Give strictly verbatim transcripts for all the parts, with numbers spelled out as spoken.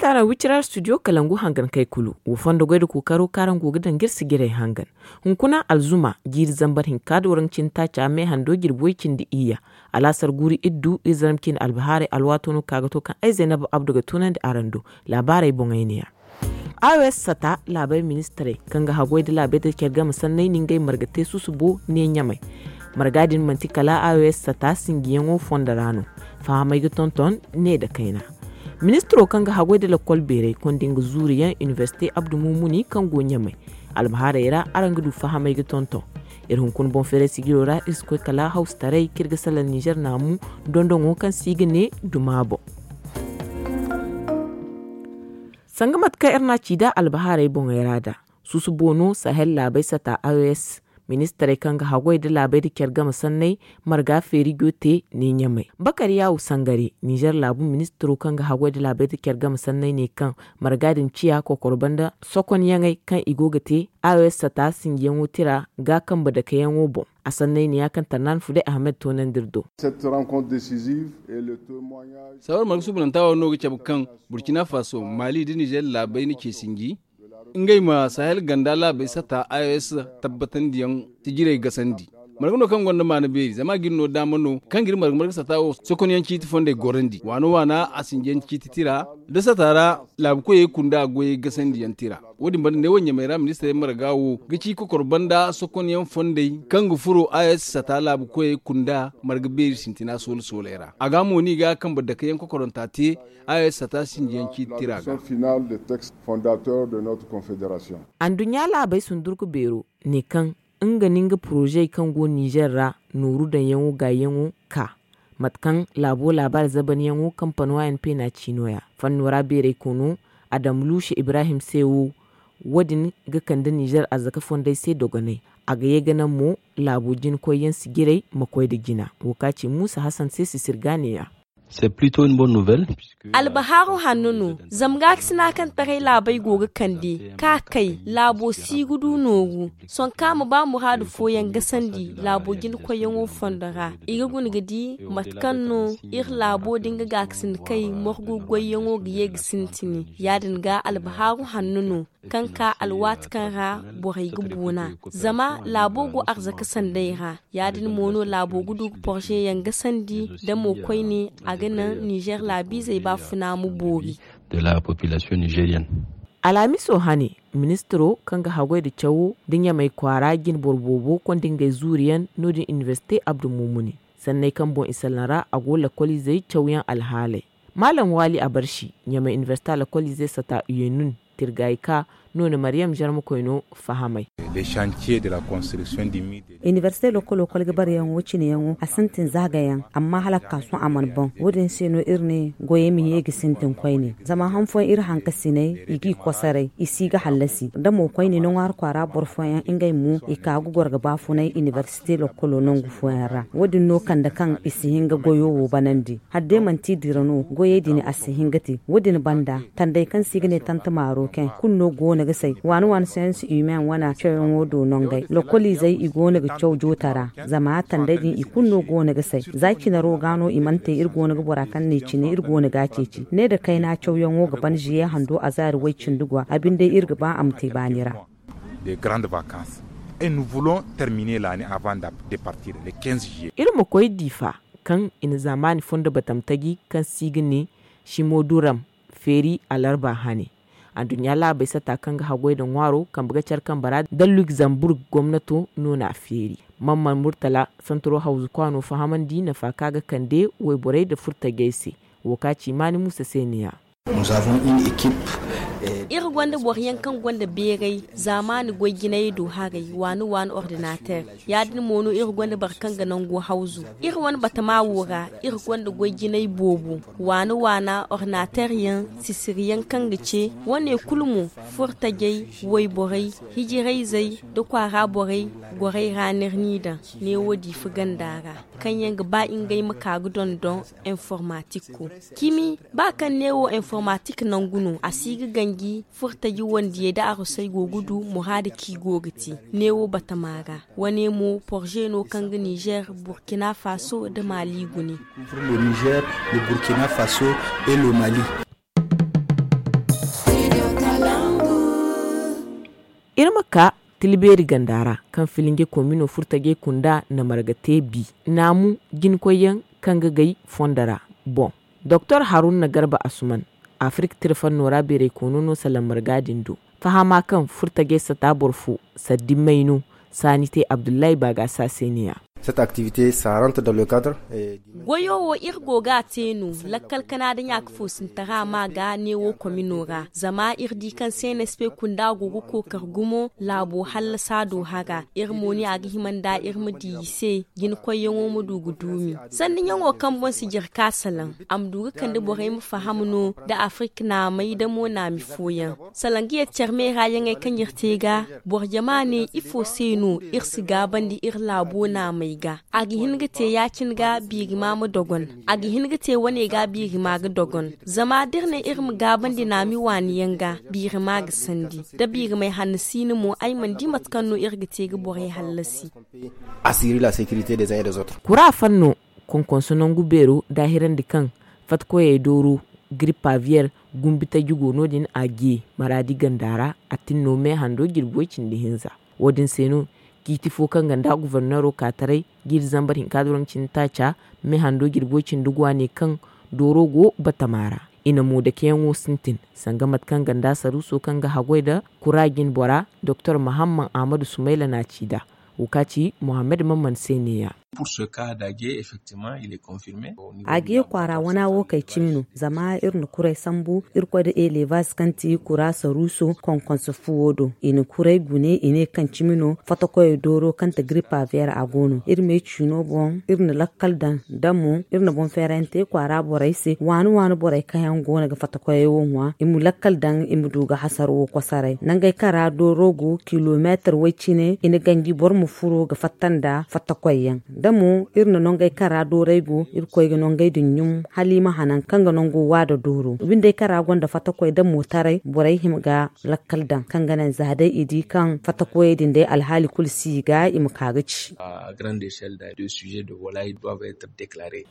Tara wicira studio kalangu hangan kay kulu wo fondo goy da kookaro kaaraŋ go ga daŋ ga iri sijirey hangan. Hunkuna alzuma jiiri zambar hinka da waranka cindi taaca me hando jirbi way cindi iyya. Alaasar guuri iddu iri zarma cindi albahaarey alwaato no ka ga to kaŋ ay zaynab abdu ga tunandi araŋ do. Laabaarey boŋey neeya. Aws sata laabey ministarey kaŋ ga haggoy da laabey da care game sanney no ngey marga te susubo ne ɲamey. Marga din manti kala aws sata sinjiyaŋo fondo ra no. Fahamey ga tonton ne nda kayna. Ministiro kaŋ ga haggoy da lakkol beerey konda nga zuuriyaŋ inibersite abdu mumuni kaŋ go ɲamey. Albahaarey ra araŋ ga du fahamey ga tonton. Iri hunkuna boŋ feeray sijiro ra iri si koy kala hawsataray kaŋ iri ga salaŋ nizer naamu dondoŋo kaŋ se i ga ne duma boŋ. Sanga mate kaŋ iri n'a ci nd'a albahaarey boŋey ra nd'a susubo no sahel laabey sata aws. Ministarey kaŋ ga haggoy nda laabey nda care game sanney marga feeri go te ne ɲamey bakar yaawu sangare nizer laabu ministiro kaŋ ga haggoy nda laabey nda care game sanney ne kaŋ marga din ciya kokoro banda sokonyaŋey kaŋ i go ga te aws sata sinjiyaŋo tira ga kambe dakeyaŋo boŋ. A sanney ne ya kaŋ tarnaani fuday ahmed toonandi iri do. Sawar marga suubananta wo no ga cabe kaŋ burkina faso mali nda nizer laabey na ce sinji ngey ma sahel ganda laabey sata aws tabbatandiyaŋ sijirey gasandi. Marga no kaŋ gonda maana beeri zama a ga iri no daama no kaŋ ga iri marga marga sata wo sokonyaŋ ciiti fondey gorandi waana waana a sinjiyaŋ ciiti tira nda sata ra laabu koyey kunda goyey gasandiyaŋ tira. Wo- din banda neewo ɲamey ra ministarey marga wo ga ci kokoro banda sokonyaŋ fondey kaŋ ga furo aws sata laabu koyey kunda marga beeri sintina soole sooley ra a ga mo no i ga kambe dakeyaŋ kokoranta te aws sata sinjiyaŋ ciiti tira ga. Anduɲɲa laabey sundurku beero ne kaŋ nga no nga poroze kaŋ go nizer ra nooru daŋyaŋo gaayaŋo ka mate kaŋ laabo laabaari zabanyaŋo kampano a n p na ci no- ya fanno ra beerey kono adam luusa ibrahim se wo. Wo- din ga kande nizer arzaka fondey se dogonay a ga ye ga naŋ mo laabo jina koyyaŋ sijirey ma koy nda jina wo ka ci muusa hasan se sisir ga ne- ya. Albahaaru hanno no zama gaakasina kaŋ taray laabey go ga kande ka kay laabo si ga du nooru sonka ma ba muraadu fooyaŋ gasandi laabo jina koyyaŋo fondo ra i ga guna ga di mate kaŋ no iri laabo da nga gaakasin kay morgu goyyaŋo ga ye ga sintini ya- din ga albahaaru hanno no kaŋ ka alwaati kaŋ ra borey ga boona zama laabo go arzaka sanday ra ya- din mo no laabo ga du ga porzeyaŋ gasandi da mo koyne a ga naŋ nizer laabiizey baafuna ma boori. Alhamiso hane ministiro kaŋ ga haggoy nda cawo nda ɲamey kwaara jine boro boobo konda ngey zuuriyaŋ no- din inibersite abdu mumuni sanney kaŋ boŋ i salaŋ ra a go lakkoliizey cawyaŋ alhaaley. Maalam waali abarsi ɲamey inibersite lakkoliizey sata uyenun tirgaayi ka noona maryam zarmakoyno fahamay. Inibersite lokolo kolga bareyaŋo cineyaŋo a sintin zaagayaŋ amma hala ga ka sohõ a mana boŋ wo- din se no iri ne goyey ma ye ga sintin koyne zama han fooyaŋ iri hankasiney i g'i kosoray i si ga hallasi da mo koyne ni ŋwaari kwaara boro fooyaŋ ngey mo i ka ga goro ga baafunay inibersite lokolo nangu fooyaŋ ra wo- din no kande kaŋ i si hin ga goyo wo banandi hala day manti dira no goyey din a si hin ga te wo- din banda tandey kaŋ se i ga ne tante marocain kulu no go no ga say waani waani science humaine wane cawyaŋo do nongey lokoliizey i go no ga caw jootara zama tandey din i kulu no go no ga say za cinaro ga no i mana te iri go no ga bora kaŋ ne cine iri go no ga a ceeci ne nda kayna cawyaŋo ga ban ziye hando a zaari way cindi gwa a binde iri ga ba a ma te baani ra. Iri ma koy diifa kaŋ i na zaamaani fondo batam taji kaŋ se i ga ne simo duram feeri alarba hane. Aduɲɲa laabey sata kaŋ ga haggoy nda ŋwaaro kambe ga care kambe ra nda lugzamburg gomnato no n'a feeri. Mamman murtala santaro hawzu kwaano fahamandi nafa kaŋ a ga kande wayborey nda furtajey se. Wo ka ci maani muusa se ne- ya. Iri gonda boro yaŋ kaŋ gonda beeray zaamaani goy jinayey do haray waani waani ordinater. Ya- din mo no iri gonda boro kaŋ ga nango hawzu iri wane batama wo ra. Iri gonda goy jinay boobo waana waana ordinater yaŋ sisiri yaŋ kaŋ ga ce wane kulu mo furtajey wayborey hijirayzey nda kwaara borey goray ra n'iri n'i daŋ neewo diifa ganda ra kaŋ yaŋ ga ba ngey ma ka ga dondon informatikko. Cimi ba kaŋ neewo informatik nangu no a si ga ganji furtaji wandiyey nda arusey go ga du muraada kaŋ i go ga te neewo batama ra. Wane mo porze no kaŋ ga nizer burkina faso nda mali gune. Nizer, burkina faso et le mali. Iri ma ka tilbeeri ganda ra, kaŋ filinge komino furtajey kunda na marga te bi naamu jinkoyyaŋ kaŋ ga gay fondo ra. Boŋ doktor haruna garba asuman, afirik tira fanno ra beeray koono no salaŋ marga din do. Fahama kaŋ furtajey sata boro fo, saddi may no saani te abdullahi baagaasa se ne ya. Goyo wo iri go ga a te no, lakkal kana da ɲaaka foosintara ma ga neewo komino ra zama iri di kaŋ se nespe kunda go ga kookar gumo laabo hallasa do hara. Iri mo ne a ga hima nda iri ma di i se, jinakoyyaŋo ma du ga duumi. Sanni ɲaŋo kaŋ boŋ si jare ka salaŋ, a ma du ga kande borey ma faham no nda afirik naamey nda mo naami fooyaŋ. Salaŋ ga yeti care meera yaŋey kaŋ iri te ga, boro jama ne ifo se no iri si gaabandi iri laabo naamey ga? A ga hin ga te ya-cine ga biirima ma dogon. A ga hin ga te wane ga biirima ga dogon. Zama da iri ne iri ma gaabandi naami waani yaŋ ga, biirima ga sandi. Da biirimay hanno si no mo ay mana di mate kaŋ no iri ga te ga borey hallasi. Kura fanno konkonso nangu beero daahirandi kaŋ fattakoyey dooro giripaviyer gumbi taji go no- din a ge maraadi ganda ra. A tin no me hando jirbi way cindi hinza. Wo- din se no ciiti fo kaŋ ganda gufornero ka taray jiiri zambar hinka doroŋ cindi taaca me hando jirbi way cindi go a ne kaŋ dooro go batama ra. I na mo dakeyaŋo sintin sanga mate kaŋ ganda saruuso kaŋ ga haggoy nda kura jinbora doktor mahamman ahmadu sumayla na ci nd'a. Wo ka ci mohammed mamman se ne- ya. A ge kwaara wana wo kay cimi no. Zama iri na kuray sambu irkoy nda elevaz kaŋ ti kura saruuso konkonso fuwo do. I na kuray gune i ne kaŋ cimi no fotokoyey dooro kaŋ ti giripa veer a go no iri me ciino boŋ. Iri na lakkal daŋ da mo iri na boŋ feerante kwaara borey se waani waani borey kaŋ yaŋ go no ga fotokoyey wo ŋwa i ma lakkal daŋ i ma du ga hasara wo kosoray nangey kaŋ ra dooro go kilomeetar way cine i na ganji boro ma furo ga fatta nda fotokoy yaŋ. Da mo iri na nongey kaŋ ra doorey go irkoy ga nongey din ɲum hala i ma hanan kaŋ ga nango wa nda dooro bindey kaŋ ra gonda fattakoy da mootaray borey hima ga lakkal daŋ kaŋ ga naŋ za day i di kaŋ fattakoyey din day alhaali kulu si i ga i ma ka ga ci.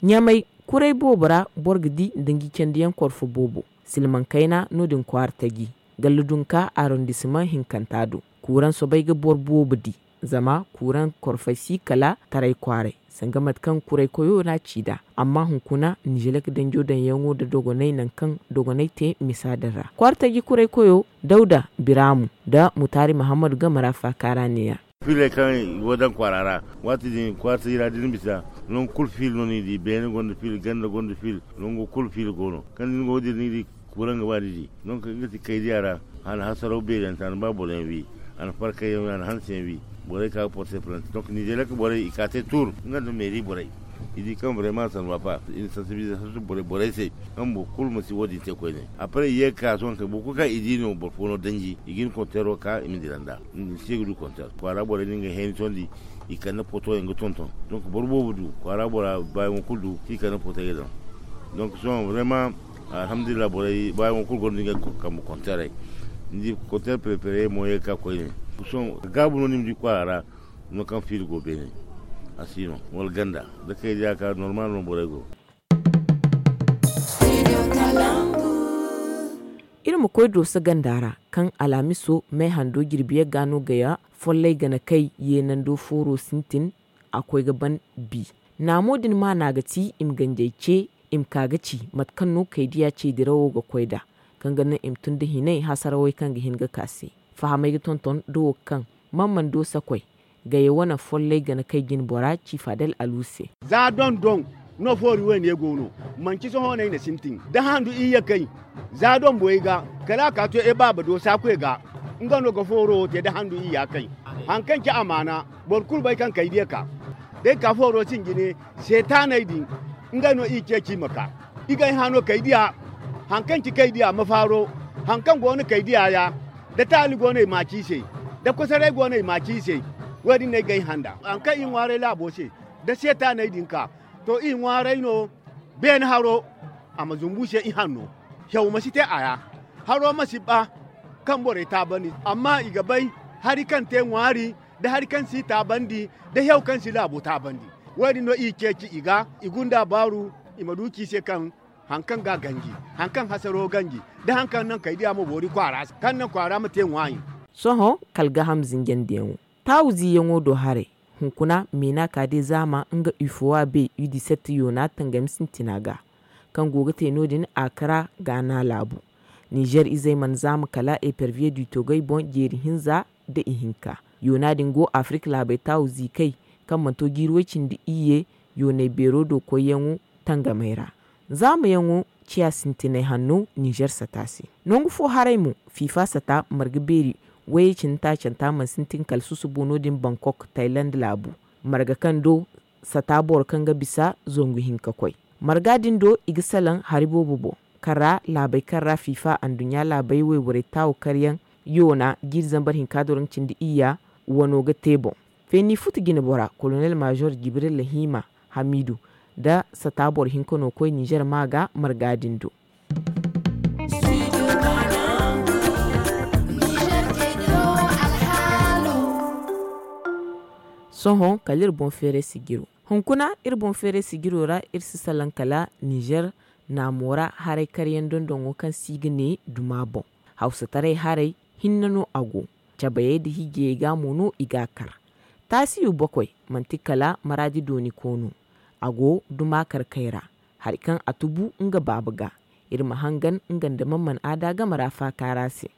Ɲamay kuray boobo ra boro ga di danji candiyaŋ korfo boobo. Silmaŋ kayna no- din kwaara taji galla dunka arondisimaŋ hinkanta do. Kuuraŋ soobay ga boro boobo di zama kuuraŋ korfey si kala taray kwaaray sanga mate kaŋ kuray koyo no a ci nd'a. Amma hunkuna nizelek danjo daŋyaŋo nda dogonay nangu kaŋ dogonay te misa din ra kwaara taji kuray koyo dawda biraamu nda mutaari mahammadu game ra faaka ra ne- ya. Fiiley kaŋ i go ga daŋ kwaara ra waati din kwaara taji ra da ni bisa nangu kulu fiila no ni di beene gonda fiila ganda gonda fiila nango kulu fiila go no kaŋ da ni go ga dira ni di. Kuuraŋ ga ba ni di donk nga ti kaydiya ra. A na hasaraw beerante a na ba boro yaŋ wi a na farkay yaŋ wi a na hanse yaŋ wi. Borey ka ga porte plante donk nizeelek borey i ka te tuur nga nda meeri borey. I di kaŋ borey ma sanwa pa i na sansibilize borey se kaŋ boro kulu ma si wo- din te koyne. Apre i ye ga ka sohõ kay boro kulu kaŋ i di no boro fo no danji i ga hin konteero ka i ma dira nd'a. Ni si ga du konteer kwaara borey no ngey hayni tondi. I kande poto yaŋ ga tonton donk boro boobo du kwaara bora baayaŋo kulu du kaŋ i kande poto ga daŋ. Donk sohõ vrema alhamdulillah borey baayaŋo kulu gonda ngey kambe konteerey. Ni di konteer pereperey mo ye ga ka koyne. Sohõ gaabu no ni ma di kwaara ra no kaŋ fiila go beene. A si no wala ganda da kay diya ka normal no borey go. Iri ma koy dooso ganda ra kaŋ alhamiso may hando jirbi yagga no gaya follay gana kay yeenando fooro sintin. A koy ga ban bi naamo din maana ga ti i ma ganjey ce i ma ka ga ci mate kaŋ no kaydiya ce dirawo ga koy nd'a kaŋ ga naŋ i ma tun nda hinay hasarawey kaŋ ga hin ga ka se. Fahamey ga tonton da wo kaŋ man mana doosa koy gaya wane follay gana kay jine bora ci fadel alu se. Za doŋ-doŋ no foori wayne go no. Manci sohõ no ay na sintin da handu iyye kay za doŋ boyey ga kala a ka to e baaba do saakoy ga. Nga no ga fooro wo te da handu iyya kay. Haŋ kaŋ ci amaana boro kulu bay kaŋ kay diya ka da ay ka fooro sinjine seetaaney din. Ngey no i ceeci i ma ka i ga ay hã no kay diya. Haŋ kaŋ ci kay diya ma faaro haŋ kaŋ go no kay diya ya da taali go no i maaci i se da kosoray go no i maaci i se. Wo- din no ay ga ay hã nd'a haŋ kaŋ i ŋwaaray laabo se da seetaaney din ka to i ŋwaaray no. Beene haro a ma zumbu se i hanno hew ma si te a ra. Haro ma si ba kaŋ borey taabandi amma i ga bay hari kaŋ te ŋwaari da hari kaŋ si taabandi da hew kaŋ si laabo taabandi. Wo- din no i ceeci i ga i gunda baaru i ma du ci se kaŋ haŋ kaŋ ga ganji haŋ kaŋ hasaro ganji da haŋ kaŋ naŋ kay diya ma boori kwaara se kaŋ naŋ kwaara ma te ŋwaayi. Sohõ kala gaaham zinjandiyaŋo taawu ziiyaŋo do haray. Hunkuna meena ka day zaama nga ufowa bay u di sette yoona tangami sintina ga kaŋ go ga te no- din a kara gaana laabu. Nizer izey mana zaama kala eperviye du togey boŋ jeeri hinza nda ihinka. Yoona din go afirik laabey taawu ziikey kaŋ mana to jiiri way- cindi iyye yooney beero do koyyaŋo tangamey ra. Zaamayaŋo ciya sintinay hanno nizer sata se. Nangu fo haray mo fiifa sata marga beeri wayey cindi taacanta mana sintin kala susubo no- din bankok tayland laabu. Marga kaŋ do sata boro kaŋ ga bisa zangu hinka koy. Marga din do i ga salaŋ hari boobo boŋ kaŋ ra laabey kaŋ ra fiifa anduɲɲa laabey wayborey taawu karyaŋ yoona jiiri zambar hinka do ra nga cindi iyya wano ga te boŋ. Feeni futu jinebora kolonel maazor jibril lahiima hamiidu nda sata boro hinka no koy nizer ma ga marga din do. Sohõ kala iri boŋ feeray sijiro hunkuna iri boŋ feeray sijiro ra iri si salaŋ kala nizer naamo ra haray karyaŋ dondoŋo kaŋ se i ga ne duma boŋ. Hawsataray haray hinne no a go. Cabayey nda hiijayey ga mo no i ga a kar. Taasiyo bokoy manti kala maraadi dooni koono. A go duma karkey ra hari kaŋ a tubu nga baaba ga. Iri ma hangan nga nda man mana aada game ra faaka ra se.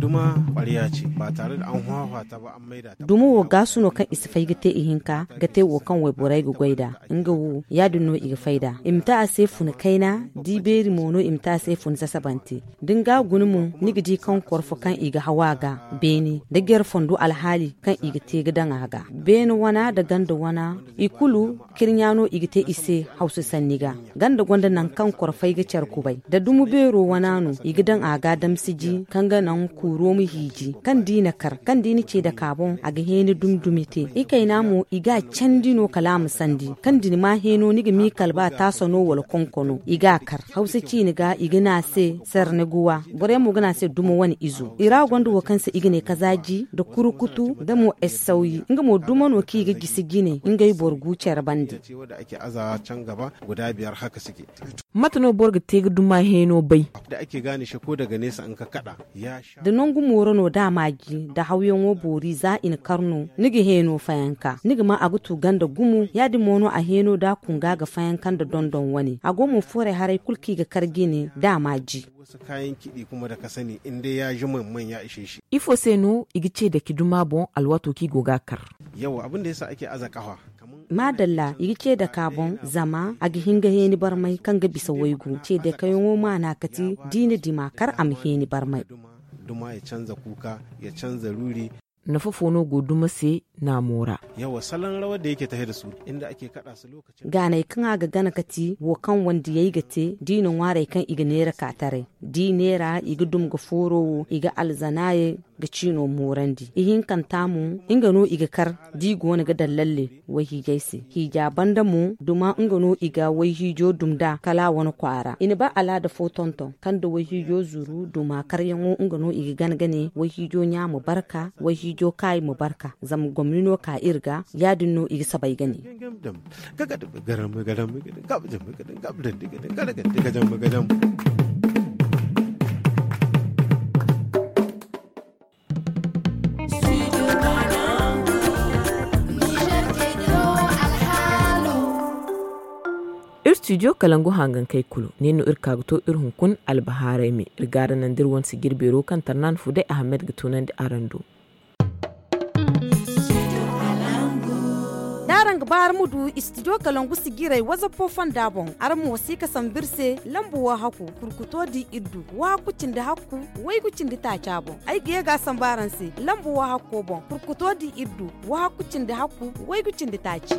Duma kwarya ce ba tare da an hwahwata ba an maida ta dumo wo gaasu no kaŋ i si fay ga te ihinka ga te wo kaŋ wayborey ga goy nd'a. Nga wo ya- din no i ga fay nd'a i ma te a se funa kayna. Di beeri mo no i ma te a se funa sasabante da ni ga a guna mo ni ga di kaŋ korfo kaŋ i ga haw a ga beene nda jare fondo alhaali kaŋ i ga te ga daŋ a ga beene wana nda ganda wana. I kulu kirɲa no i ga te i se hawsa sanni ga. Ganda gonda nangu kaŋ korfey ga care kubay da dumo beero wana no i ga daŋ a ga damsiji kaŋ ga naŋ kuuro ma hiiji kaŋ da i na kar kaŋ da i na ce dake a boŋ a ga heeni dumi dumi te. Ikayna mo i ga a candi no kala a ma sandi kaŋ da ni ma heeno ni ga miikal ba taasa no wala konko no i ga a kar hawsa ciine ga i ga ne a se sarne guwa. Borey mo ga ne a se dumo wane izo i ra gonda wo kaŋ se i ga ne kazaaji nda kurukutu nda mo essawyi nga mo dumo no kaŋ i ga gisi jine ngey boro gu care bande. Mate no boro ga te ga duma heeno bay? Da nangu mooro no da a maaji nda hawyaŋo boori za i na kar no ni ga heeno fayanka ni ga ma a ga tu ganda gumo ya- din mo no a heeno da a kunga ga fayanka nda dondon wane a go mo fooray haray kulu kaŋ i ga kar jine da a maaji. Ifo se no i ga ce dake duma boŋ alwaato kaŋ i go ga a kar? Maadalla i ga ce dake a boŋ zama a ga hin ga heeni barmay kaŋ ga bisa waygu ce dakeyaŋo maana kati da i na dima kar a ma heeni barmay. Nafa fo no go duma se naamo ra? Gaanay kaŋ a ga gana kati wo kaŋ wandiyey ga te da i na ŋwaarey kaŋ i ga neera ka taray da i neera i ga dum ga fooro wo i ga alzanaayey ga ciino moorandi ihinkanta mo nga no i ga kar da i go no ga daŋ lalle wayhiijay se. Hiija banda mo duma nga no i ga wayhiijo dum nd'a kala a wane kwaara i na ba alaada fo tonton kaŋ nda wayhiijo zuru duma karyaŋo nga no i ga gana ga ne wayhiijo ɲaama barka wayhiijo kaayi ma barka. Zama gomni no ka iri ga ya- din no i ga sabay ga ne. Iri studio kalangu hangankey kulu ne no iri ka ga to iri hunkuna albahaaray me iri ga araŋ naŋ da iri wane sijir beero kaŋ tarnan fuday ahamed ga tunandi araŋ do. Da araŋ ga ba araŋ ma du studio kalangu sijirey wazappo fonda boŋ araŋ ma wasi ka sambu iri se lambu wo hakku kurkuto di iri du wo hakku cindi hakku waygu cindi taaca boŋ. Ay ga ye ga a sambu araŋ se lambu wo hakko boŋ kurkuto di iri du wo hakku cindi hakku waygu cindi taaci.